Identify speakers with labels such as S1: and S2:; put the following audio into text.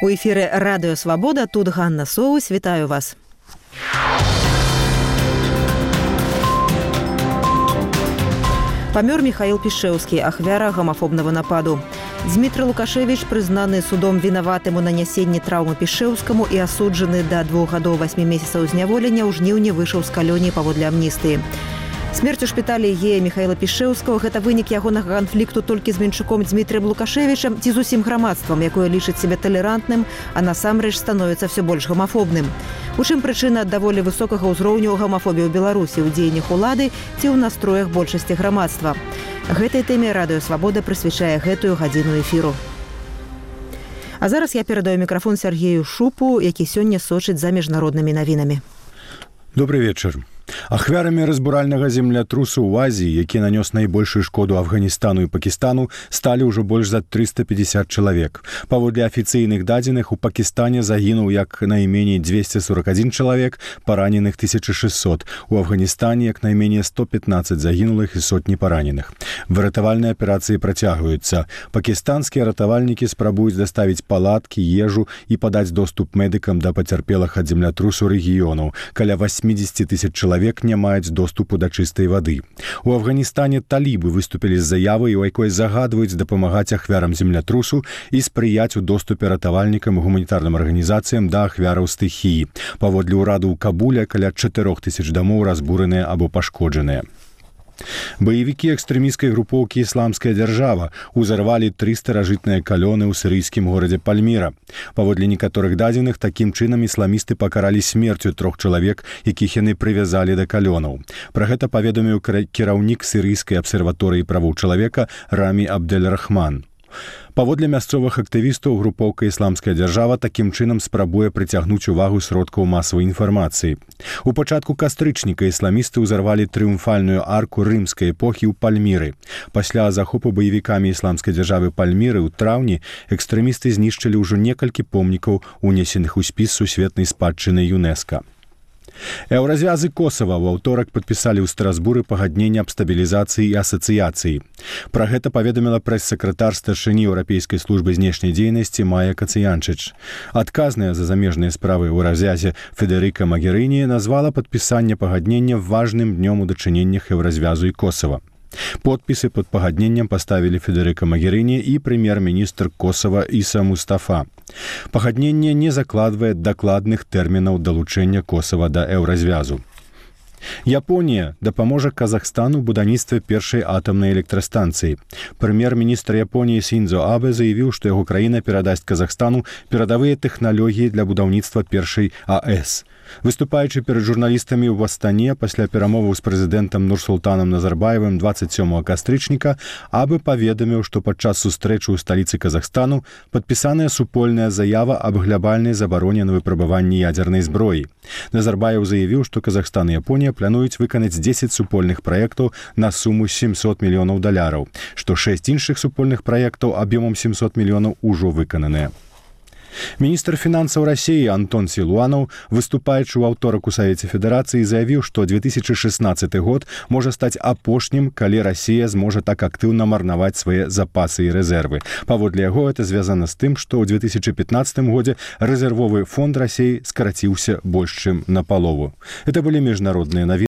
S1: У эфіры Радыё Свабода, тут Ганна Соус, вітаю вас. Памёр Михаил Пішэўскі, ахвяра гомафобнага нападу. Дмітрий Лукашевич прызнаны судом вінаватым у нанясенні траўмы Пішэўскаму і асуджаны да 2 гадоў 8 месяцаў зняволення ў жніўні выйшаў з калоніі паводле амністыі. Смерць у шпіталі гея Михаила Пішэўскага – гэта вынік ягонага канфлікту толькі з менчуком Дмітрыем Лукашевичам ці з усім грамадствам, якое лічыць сябе талерантным, а насамрэч становіцца ўсё больш гомафобным. У чым прычына даволі высокага ўзроўню гомафобіі ў Беларусі ў дзеяннях улады ці ў настроях большасці грамадства. Гэтай тэме Радыё Свабода прысвячае гэтую гадзіну эфіру. А зараз я перадаю мікрафон Сергею Шупу, які сёння сочыць за міжнароднымі навінамі.
S2: Добрый вечер. Ахвярамі разбуральнага землятрусу ў Азіі, які нанёс найбольшую шкоду Афганістану і Пакістану, сталі ўжо больш за 350 чалавек. Паводле афіцыйных дадзеных, у Пакістане загінуў як найменей 241 чалавек, параненых 1600. У Афганістане як найменей 115 загінулых і сотні параненых. Выратавальныя аперацыі працягваюцца. Пакістанскія ратавальнікі спрабуюць даставіць палаткі, ежу і падаць доступ медыкам да пацярпелых ад землятрусу рэгіёнаў. Каля 80 тысяч чалавек не маюць доступу да чыстай вады. У Афганістане талібы выступілі з заявай, у якой загадваюць дапамагаць ахвярам землятрусу і спрыяць у доступе ратавальнікам і гуманітарным арганізацыям да ахвяраў стыхіі. Паводле ўраду ў Кабуле каля 4000 дамоў разбураныя або пашкоджаныя. Баевікі экстрэмісцкай групоўкі «Ісламская дзяржава» узарвалі 3 старажытныя калёны ў сірыйскім горадзе Пальміра. Паводле некаторых дадзеных, такім чынам ісламісты пакаралі смерцю 3 чалавек, якіх яны прывязалі да калёнаў. Пра гэта паведаміў кіраўнік сірыйскай абсерваторыі правоў чалавека Рамі Абдель-Рахман. Паводле мясцовых актывістаў, групоўка «Ісламская дзяржава» такім чынам спрабуе прыцягнуць увагу сродкаў масавай інфармацыі. У пачатку кастрычніка ісламісты ўзарвалі трыумфальную арку рымскай эпохі ў Пальміры. Пасля захопу баевікамі «Ісламскай дзяржавы» Пальміры ў траўні экстрэмісты знішчылі ўжо некалькі помнікаў, унесеных у спіс сусветнай спадчыны ЮНЕСКО. Еўразвязы Косава ў аўторак падпісалі ў Страсбуры пагадненне аб стабілізацыі і асацыяцыі. Пра гэта паведаміла прэс-сакратар старшыні Еўрапейскай службы знешняй дзейнасці Майя Кацыянчыч. Адказная за замежныя справы ў развязе Федэрыка Магерыні назвала падпісанне пагаднення важным днём у дачыненнях Еўразвязу і Косава. Подпісы пад пагадненнем паставілі Федэрыка Магерыні і прэм'ер-міністр Косава Іса Мустафа. Пагадненне не закладвае дакладных тэрмінаў далучэння Косава да еўразвязу. Японія дапаможа Казахстану ў будаўніцтве першай атамнай электрастанцыі. Прэм'ер-міністр Японіі Сіндзо Абэ заявіў, што яго краіна перадасць Казахстану перадавыя тэхналогіі для будаўніцтва першай АЭС. Выступаючы перад журналістамі ў Астане пасля перамоваў з прэзідэнтам Нурсултанам Назарбаевым 27 кастрычніка, Абэ паведаміў, што падчас сустрэчы ў сталіцы Казахстану падпісаная супольная заява аб глябальнай забароне на выпрабаванні ядзернай зброі. Назарбаев заявіў, што Казахстан і Японія плануюць выканаць 10 супольных праектаў на суму $700 мільёнаў, што 6 іншых супольных праектаў аб'ёмам 700 мільёнаў ужо выкананыя. Міністр фінансаў Расіі Антон Сілуанаў, выступаючы ў аўторак у Савеце Федэрацыі, заявіў, што 2016 год можа стаць апошнім, калі Расія зможа так актыўна марнаваць свае запасы і рэзервы. Паводле яго, это звязана з тым, што ў 2015 годзе рэзервовы фонд Расіі скараціўся больш чым напалову. Это былі міжнародныя навіны.